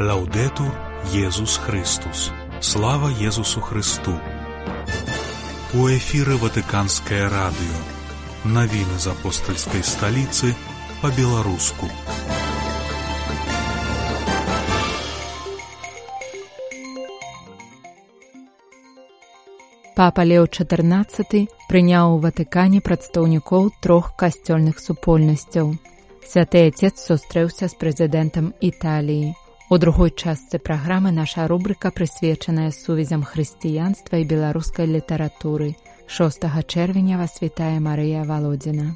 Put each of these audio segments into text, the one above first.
Лаўдетур Єсус Христос. Слава Єсусу Христу. У эфіры Ватыканскае радыё. Навіны з апостальскай сталіцы па-беларуску. Папа Леў XIV прыняў у Ватыкане прадстаўнікоў 3 касцёльных супольнасцяў. Святы Отец сустрэўся з прэзідэнтам Італіі. У другой частцы праграмы наша рубрыка, прысвечаная сувязям хрысціянства і беларускай літаратуры. 6 чэрвеня вас вітае Марыя Валодзіна.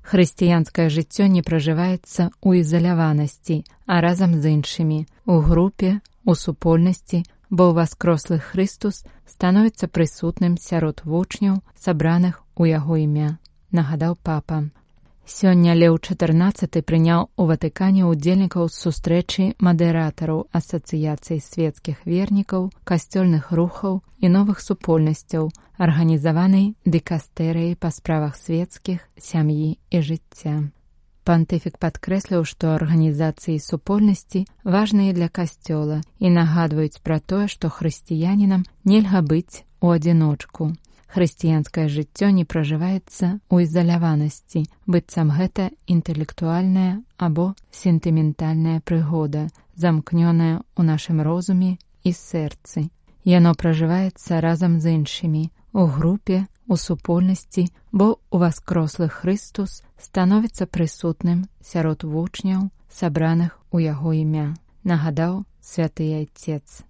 Хрысціянскае жыццё не пражываецца ў ізаляванасці, а разам з іншымі, у групе, у супольнасці, бо ўваскрослы Хрыстус становіцца прысутным сярод вучняў, сабраных у яго імя, нагадаў папа. Сёння Леў XIV прыняў у Ватыкане ўдзельнікаў сустрэчы мадэратараў асацыяцый свецкіх вернікаў, касцёльных рухаў і новых супольнасцяў, арганізаванай дыкастэрыяй па справах свецкіх, сям'і і жыцця. Пантыфік падкрэсліў, што арганізацыі супольнасці важныя для касцёла і нагадваюць пра тое, што хрысціянінам нельга быць у адзіночку. Хрысціянскае жыццё не пражываецца ў ізаляванасці, быццам гэта інтэлектуальная або сентыментальная прыгода, замкнёная ў нашым розуме і сэрцы. Яно пражываецца разам з іншымі, у групе, у супольнасці, бо ўваскрослы Хрыстус становіцца прысутным сярод вучняў, сабраных у яго імя, нагадаў святы Отец.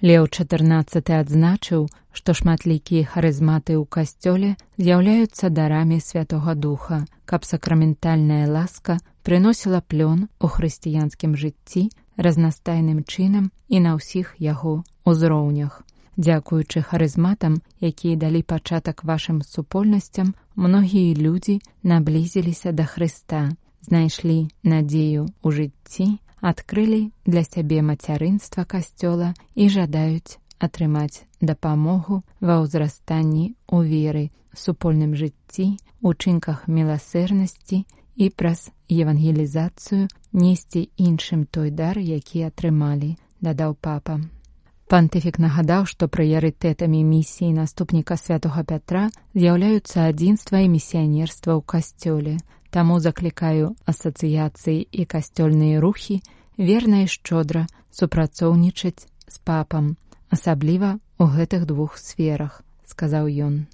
Леў XIV адзначыў, што шматлікія харызматы ў касцёле з'яўляюцца дарамі Святога Духа, каб сакраментальная ласка прыносіла плён у хрысціянскім жыцці разнастайным чынам і на ўсіх яго узроўнях. Дзякуючы харызматам, якія далі пачатак вашым супольнасцям, многія людзі наблізіліся да Хрыста, знайшлі надзею ў жыцці, адкрылі для сябе мацярынства касцёла і жадаюць атрымаць дапамогу ва ўзрастанні ў веры, супольным жыцці, учынках міласэрнасці і праз евангелізацыю несці іншым той дар, які атрымалі, дадаў папа. Пантыфік нагадаў, што прыярытэтамі місіі наступніка святога Пятра з'яўляюцца адзінства і місіянерства ў касцёле. Таму заклікаю асацыяцыі і касцёльныя рухі верна і шчодра супрацоўнічаць з папам, асабліва ў гэтых 2 сферах, сказаў ён.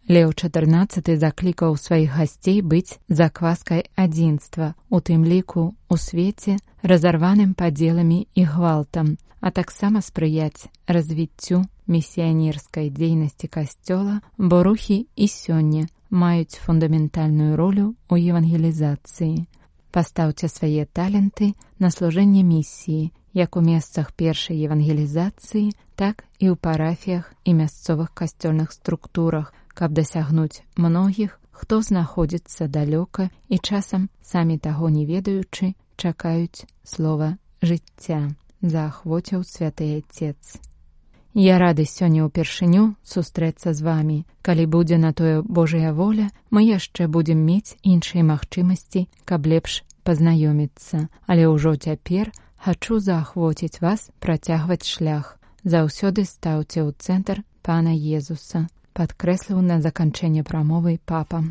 Леў XIV заклікаў сваіх гасцей быць закваскай адзінства, у тым ліку у свеце, разарваным падзеламі і гвалтам, а таксама спрыяць развіццю місіянерскай дзейнасці касцёла, бо рухі і сёння маюць фундаментальную ролю ў евангелізацыі. Пастаўце свае таленты на служэнне місіі, як у месцах першай евангелізацыі, так і ў парафіях і мясцовых касцёльных структурах, каб дасягнуць многіх, хто знаходзіцца далёка і часам, самі таго не ведаючы, чакаюць слова жыцця, заахвоціў святы Отец. Я рады сёння ўпершыню сустрэцца з вамі. Калі будзе на тое Божая воля, мы яшчэ будзем мець іншыя магчымасці, каб лепш пазнаёміцца. Але ўжо цяпер хачу заахвоціць вас працягваць шлях. Заўсёды стаўце ў цэнтр Пана Езуса, падкрэсліў на заканчэнне прамовы папа.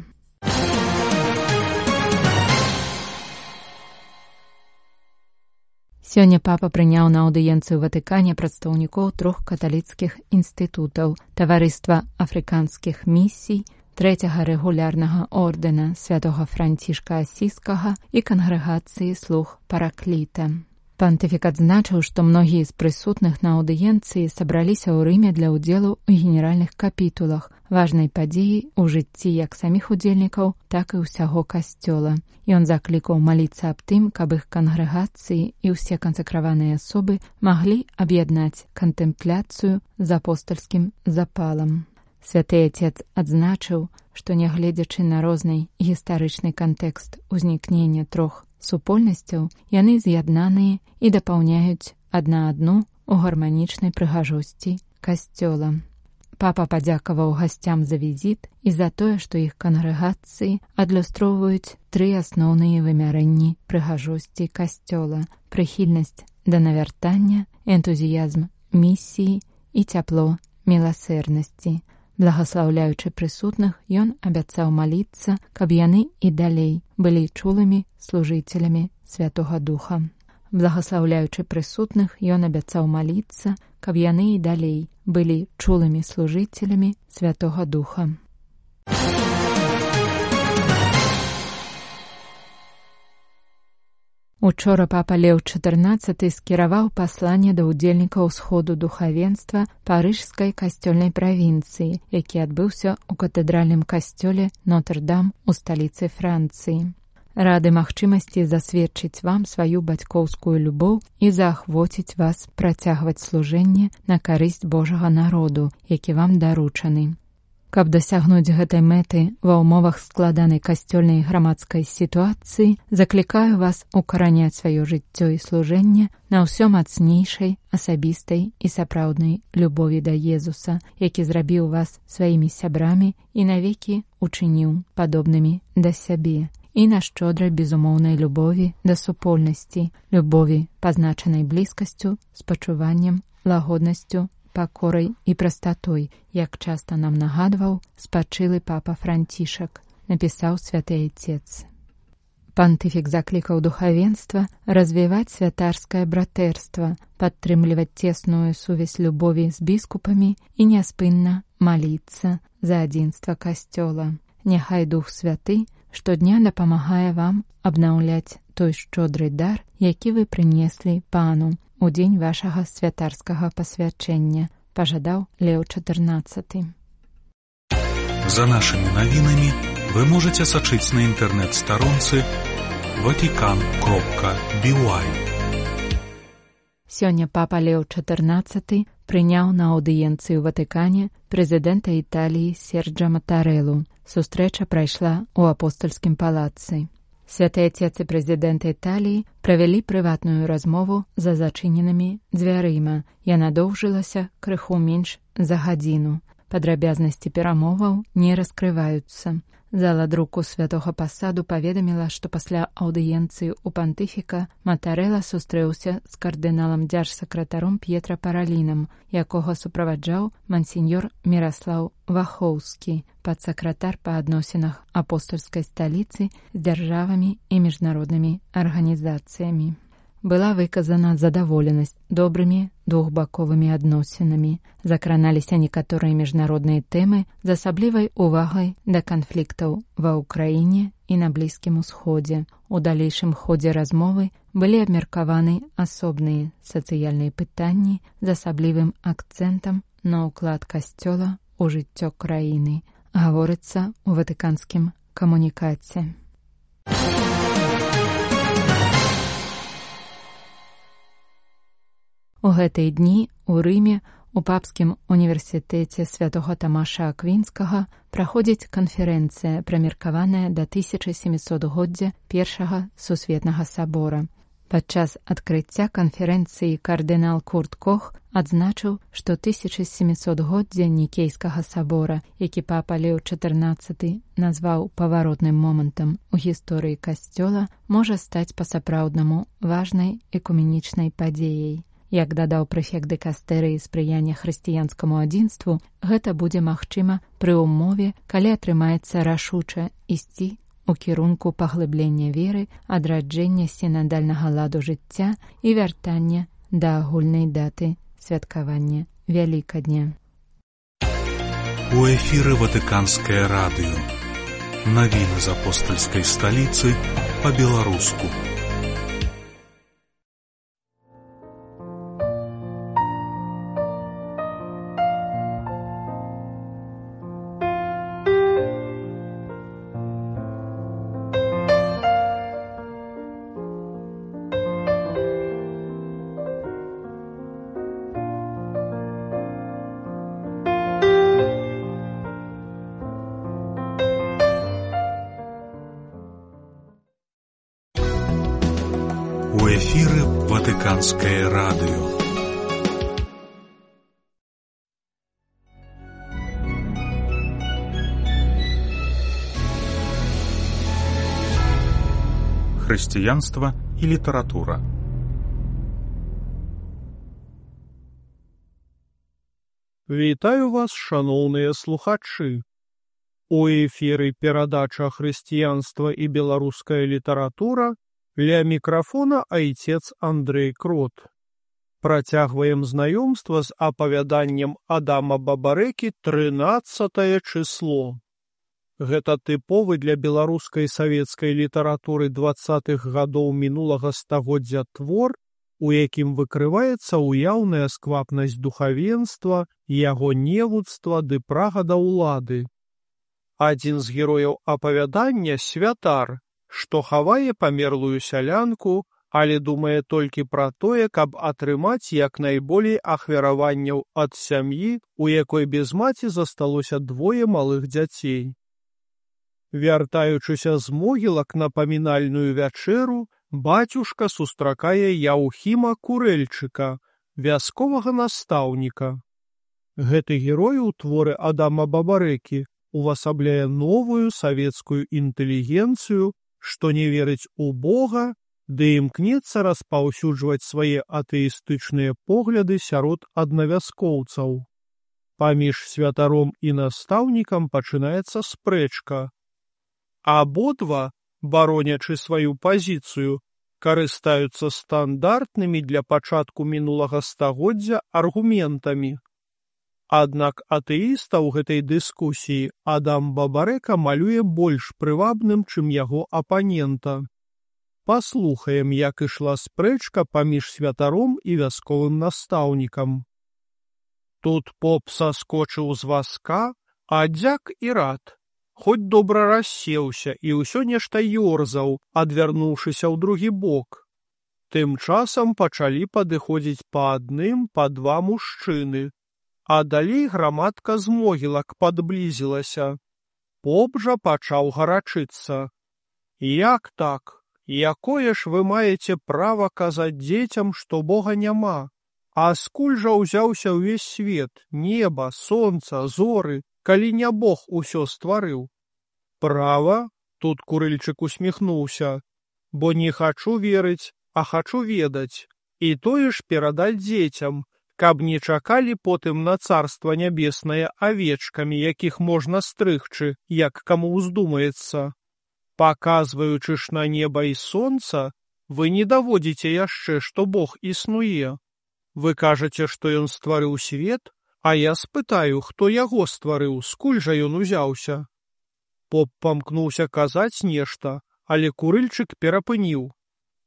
Сёння папа прыняў на аўдыенцыю ў Ватыкане прадстаўнікоў 3 каталіцкіх інстытутаў, таварыства афрыканскіх місій, 3-го рэгулярнага ордэна святога Францішка Асіскага і кангрэгацыі слуг Паракліта. Пантыфік адзначыў, што многія з прысутных на аўдыенцыі сабраліся ў Рыме для ўдзелу ў генеральных капітулах, важнай падзеі ў жыцці як саміх удзельнікаў, так і ўсяго касцёла. Ён заклікаў маліцца аб тым, каб іх кангрэгацыі і ўсе кансакраваныя асобы маглі аб'яднаць кантэмпляцыю з апостальскім запалам. Святы Отец адзначыў, што нягледзячы на розны гістарычны кантэкст узнікнення 3 супольнасцяў, яны з'яднаныя і дапаўняюць адна адну ў гарманічнай прыгажосці касцёла. папа падзякаваў гасцям за візіт і за тое, што іх кангрэгацыі адлюстроўваюць 3 асноўныя вымярэнні прыгажосці касцёла: прыхільнасць да навяртання, энтузіязм місіі і цяпло міласэрнасці. Благаслаўляючы прысутных, ён абяцаў маліцца, каб яны і далей былі чулымі служыцелямі Святога Духа. Благаслаўляючы прысутных, ён абяцаў маліцца, каб яны і далей былі чулымі служыцелямі Святога Духа. Учора папа Леў XIV скіраваў пасланне да ўдзельнікаў сходу духавенства Парыжскай касцёльнай правінцыі, які адбыўся ў катэдральным касцёле Нотр-Дам у сталіцы Францыі. Рады магчымасці засведчыць вам сваю бацькоўскую любоў і заахвоціць вас працягваць служэнне на карысць Божага народу, які вам даручаны. Каб дасягнуць гэтай мэты ва ўмовах складанай касцёльнай грамадскай сітуацыі, заклікаю вас укараняць сваё жыццё і служэнне на ўсё мацнейшай, асабістай і сапраўднай любові да Езуса, які зрабіў вас сваімі сябрамі і навекі учыніў падобнымі да сябе, і на шчодрай безумоўнай любові да супольнасці, любові, пазначанай блізкасцю, спачуваннем, лагоднасцю, пакорай і прастатой, як часта нам нагадваў спачылы папа Францішак, напісаў святы айцец. Пантыфік заклікаў духавенства развіваць святарскае братэрства, падтрымліваць цесную сувязь любові з біскупамі і няспынна маліцца за адзінства касцёла. Няхай Дух Святы штодня дапамагае вам абнаўляць той шчодры дар, які вы прынеслі Пану у дзень вашага святарскага пасвячэння, пажадаў Леў XIV. За нашымі навінамі вы можаце сачыць на інтэрнэт-старонцы vatican.by. Сёння папа Леў XIV прыняў на аўдыенцыі ў Ватыкане прэзідэнта Італіі Серджа Матарэлу. Сустрэча прайшла ў апостальскім палацы. Святы Отец і прэзідэнт Італіі правялі прыватную размову за зачыненымі дзвярыма. Яна доўжылася крыху менш за гадзіну. Падрабязнасці перамоваў не раскрываюцца. Зала друку Святога Пасаду паведаміла, што пасля аўдыенцыі ў пантыфіка Матарэла сустрэўся з кардыналам дзяржсакратаром П'етра Паралінам, якога суправаджаў мансіньор Міраслаў Вахоўскі, падсакратар па адносінах апостольскай сталіцы з дзяржавамі і міжнароднымі арганізацыямі. Была выказана задаволенасць добрымі двухбаковымі адносінамі. Закраналіся некаторыя міжнародныя тэмы з асаблівай увагай да канфліктаў ва ўкраіне і на Блізкім Усходзе. У далейшым ходзе размовы былі абмеркаваны асобныя сацыяльныя пытанні з асаблівым акцэнтам на ўклад касцёла ў жыццё краіны, гаворыцца ў ватыканскім камунікаце. У гэтыя дні ў Рыме у папскім універсітэце святога Тамаша Аквінскага праходзіць канферэнцыя, прымеркаваная да 1700-годдзя Першага сусветнага сабора. Падчас адкрыцця канферэнцыі кардынал Курт Кох адзначыў, што 1700-годдзя Нікейскага сабора, які папа Леў XIV назваў паваротным момантам у гісторыі касцёла, можа стаць па-сапраўднаму важнай экуменічнай падзеяй. Як дадаў прэфект дыкастэрыі спрыяння хрысціянскаму адзінству, гэта будзе магчыма пры ўмове, калі атрымаецца рашуча ісці у кірунку паглыблення веры, адраджэння сінадальнага ладу жыцця і вяртання да агульнай даты святкавання Вялікадня. У эфіры Ватыканскае радыё. Навіны з апостальскай сталіцы па-беларуску. У эфіры Ватыканскае радыё. хрысціянства і літаратура. Вітаю вас, шаноўныя слухачы. У эфіры перадача «Хрысціянства і беларуская літаратура», ля мікрафона айцец Андрэй Крот. Працягваем знаёмства з апавяданнем Адама Бабарэкі «13 число». Гэта тыповы для беларускай савецкай літаратуры 20-х гадоў мінулага стагоддзя твор, у якім выкрываецца ўяўная сквапнасць духавенства, яго невуцтва ды прага да ўлады. Адзін з герояў апавядання — святар, што хавае памерлую сялянку, але думае толькі пра тое, каб атрымаць як найболей ахвяраванняў ад сям'і, у якой без маці засталося 2 малых дзяцей. Вяртаючыся з могілак на памінальную вячэру, бацюшка сустракае Яўхіма Курэльчыка, вясковага настаўніка. Гэты герой у творы Адама Бабарэкі увасабляе новую савецкую інтэлігенцыю, што не верыць у Бога, ды імкнецца распаўсюджваць свае атэістычныя погляды сярод аднавяскоўцаў. Паміж святаром і настаўнікам пачынаецца спрэчка. Абодва, баронячы сваю пазіцыю, карыстаюцца стандартнымі для пачатку мінулага стагоддзя аргументамі. Аднак атэіста ў гэтай дыскусіі Адам Бабарэка малюе больш прывабным, чым яго апанента. Паслухаем, як ішла спрэчка паміж святаром і вясковым настаўнікам. Тут поп саскочыў з вазка, а дзяк і рад. Хоць добра рассеўся і ўсё нешта ёрзаў, адвярнуўшыся ў другі бок. Тым часам пачалі падыходзіць па адным, па 2 мужчыны, а далей грамадка з могілак падблізілася. Поп жа пачаў гарачыцца. Як так? Якое ж вы маеце права казаць дзецям, што Бога няма? А скуль жа ўзяўся ўвесь свет, неба, сонца, зоры, калі не Бог усё стварыў? Права, тут Курыльчык усміхнуўся, бо не хачу верыць, а хачу ведаць. І тое ж перадаць дзецям, каб не чакалі потым на царства нябеснае авечкамі, якіх можна стрыгчы, як каму ўздумаецца. Паказваючы ж на неба і сонца, вы не даводзіце яшчэ, што Бог існуе. Вы кажаце, што ён стварыў свет, а я спытаю, хто яго стварыў, скуль жа ён узяўся? Поп памкнуўся казаць нешта, але Курыльчык перапыніў.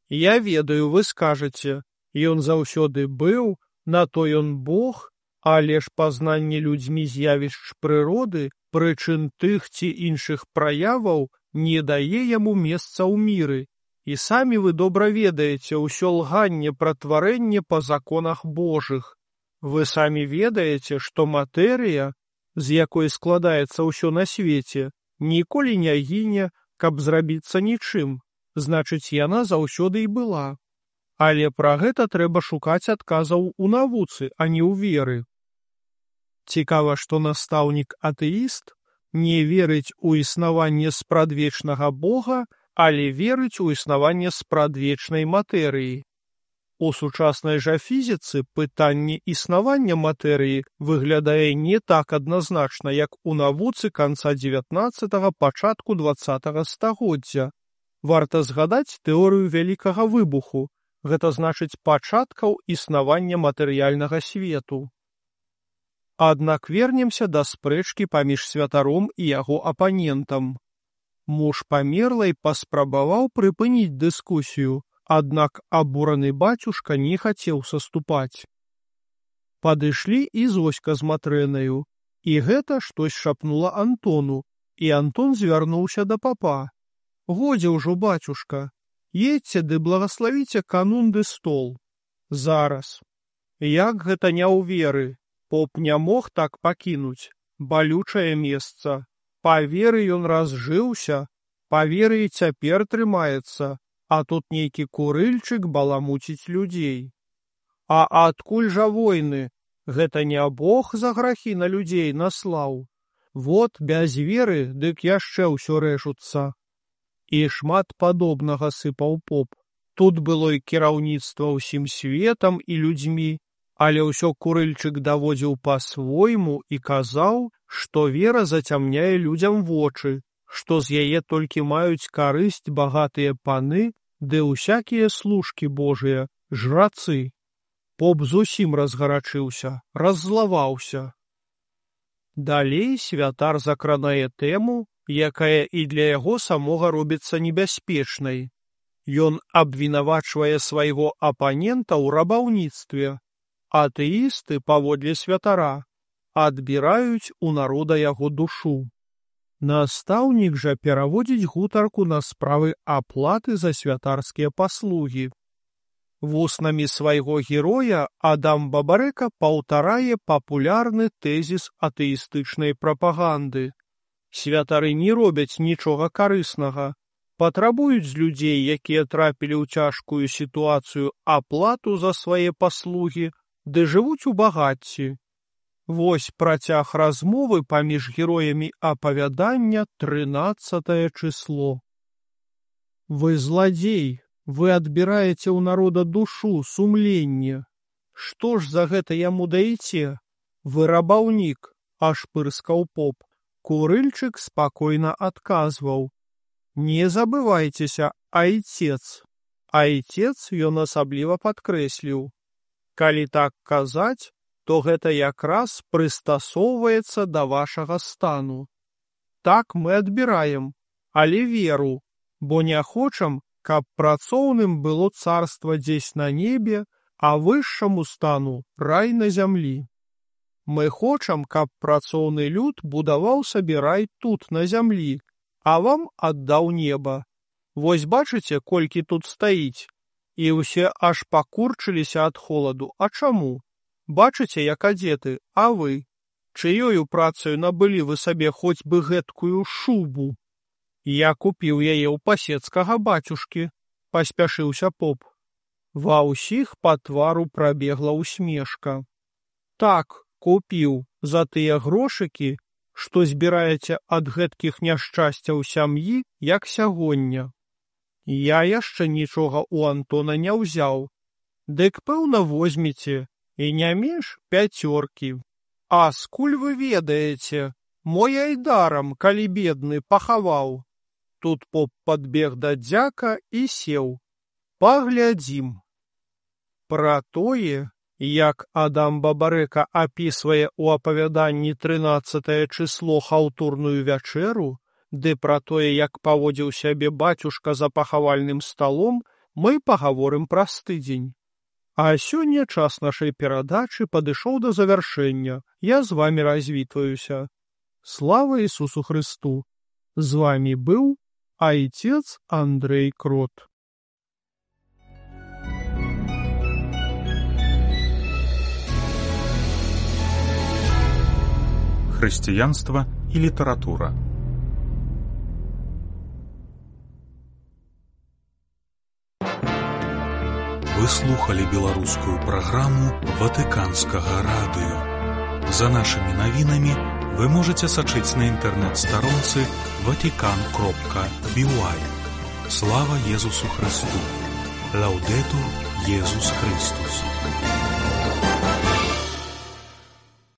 Я ведаю, вы скажаце, ён заўсёды быў, на то ён Бог, але ж пазнанне людзьмі з'явішч прыроды, прычын тых ці іншых праяваў, не дае яму месца ў міры. І самі вы добра ведаеце ўсё лганне пра тварэнне па законах Божых. Вы самі ведаеце, што матэрыя, з якой складаецца ўсё на свеце, ніколі не гіне, каб зрабіцца нічым, значыць, яна заўсёды і была. Але пра гэта трэба шукаць адказаў у навуцы, а не ў веры. Цікава, што настаўнік-атэіст не верыць у існаванне спрадвечнага Бога, але верыць у існаванне спрадвечнай матэрыі. У сучаснай жа фізіцы пытанне існавання матэрыі выглядае не так адназначна, як у навуцы канца 19-го, пачатку 20-го стагоддзя. Варта згадаць тэорыю вялікага выбуху, гэта значыць пачаткаў існавання матэрыяльнага свету. Аднак вернемся да спрэчкі паміж святаром і яго апанентам. Муж памерлай паспрабаваў прыпыніць дыскусію, аднак абураны бацюшка не хацеў саступаць. Падышлі і Зоська з Матрэнаю, і гэта штось шапнула Антону, і Антон звярнуўся да папа. Годзе ўжо, бацюшка, едзьце ды благаславіце канун ды стол. Зараз. Як гэта не ў веры? Поп не мог так пакінуць. Балючае месца. Па веры ён разжыўся, па веры і цяпер трымаецца, а тут нейкі Курыльчык баламуціць людзей. А адкуль жа войны? Гэта не Бог за грахі на людзей наслаў. Вот без веры, дык яшчэ ўсё рэжуцца. І шмат падобнага сыпаў поп. Тут было і кіраўніцтва ўсім светам і людзьмі, але ўсё Курыльчык даводзіў па-свойму і казаў, што вера зацямняе людзям вочы, што з яе толькі маюць карысць багатыя паны ды ўсякія служкі Божыя, жрацы. Поп зусім разгарачыўся, раззлаваўся. Далей святар закранае тэму, якая і для яго самога робіцца небяспечнай. Ён абвінавачвае свайго апанента ў рабаўніцтве. Атэісты, паводле святара, адбіраюць у народа яго душу. Настаўнік жа пераводзіць гутарку на справы аплаты за святарскія паслугі. Вуснамі свайго героя Адам Бабарэка паўтарае папулярны тэзіс атэістычнай прапаганды. Святары не робяць нічога карыснага, патрабуюць з людзей, якія трапілі ў цяжкую сітуацыю, аплату за свае паслугі, ды жывуць у багацці. Вось працяг размовы паміж героямі апавядання 13 число. Вы зладзей, вы адбіраеце ў народа душу, сумленне. Што ж за гэта яму даеце? Вы рабаўнік, аж пырскаў поп. Курыльчык спакойна адказваў. Не забывайцеся, айцец. Айцец ён асабліва падкрэсліў. Калі так казаць, то гэта якраз прыстасоўваецца да вашага стану. Так мы адбіраем, але веру, бо не хочам, каб працоўным было царства дзесь на небе, а вышшаму стану рай на зямлі. Мы хочам, каб працоўны люд будаваў сабе рай тут, на зямлі, а вам аддаў неба. Вось бачыце, колькі тут стаіць? І ўсе аж пакурчыліся ад холаду. А чаму? Бачыце, як адзеты, а вы? Чыёю працаю набылі вы сабе хоць бы гэткую шубу? Я купіў яе ў пасецкага бацюшкі, паспяшыўся поп. Ва ўсіх па твару прабегла ўсмешка. Так, купіў за тыя грошыкі, што збіраеце ад гэткіх няшчасцяў сям'і, як сягоння. Я яшчэ нічога ў Антона не ўзяў. Дык, пэўна, возьмеце, і не менш 5. А скуль вы ведаеце? Мой айдарам, калі бедны, пахаваў. Тут поп падбег да дзяка і сеў. Паглядзім. Пра тое, як Адам Бабарэка апісвае ў апавяданні 13 число хаўтурную вячэру, ды пра тое, як паводзіў сябе бацюшка за пахавальным сталом, мы пагаворым праз тыдзень. А сёння час нашай перадачы падышоў да завяршэння. Я з вамі развітваюся. Слава Ісусу Христу! З вамі быў Айцец Андрэй Крот. Хрысціянства і літаратура. Вы слухали беларускую праграму Ватыканскага радыё. За нашымі навінамі вы можаце сачыць на інтэрнэт-старонцы vatican.by. Слава Езусу Христу! Лаўдэтур Езус Христус!